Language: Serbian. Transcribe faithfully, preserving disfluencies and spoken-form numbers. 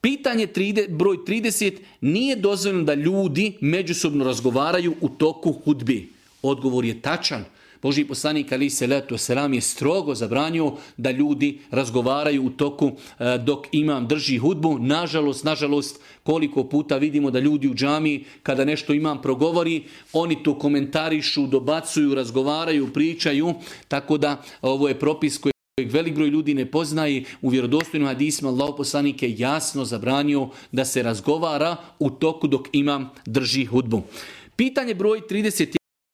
Pitanje broj trideset. Nije dozvoljeno da ljudi međusobno razgovaraju u toku hudbi. Odgovor je tačan. Božji poslanik alejhi selatu selam je strogo zabranio da ljudi razgovaraju u toku dok imam drži hudbu. Nažalost, nažalost, koliko puta vidimo da ljudi u džamiji kada nešto imam progovori, oni to komentarišu, dobacuju, razgovaraju, pričaju. Tako da ovo je propis koji velik broj ljudi ne poznaje. U vjerodostojnim hadisima Allahov poslanik je jasno zabranio da se razgovara u toku dok imam drži hudbu. Pitanje broj trideset jedan.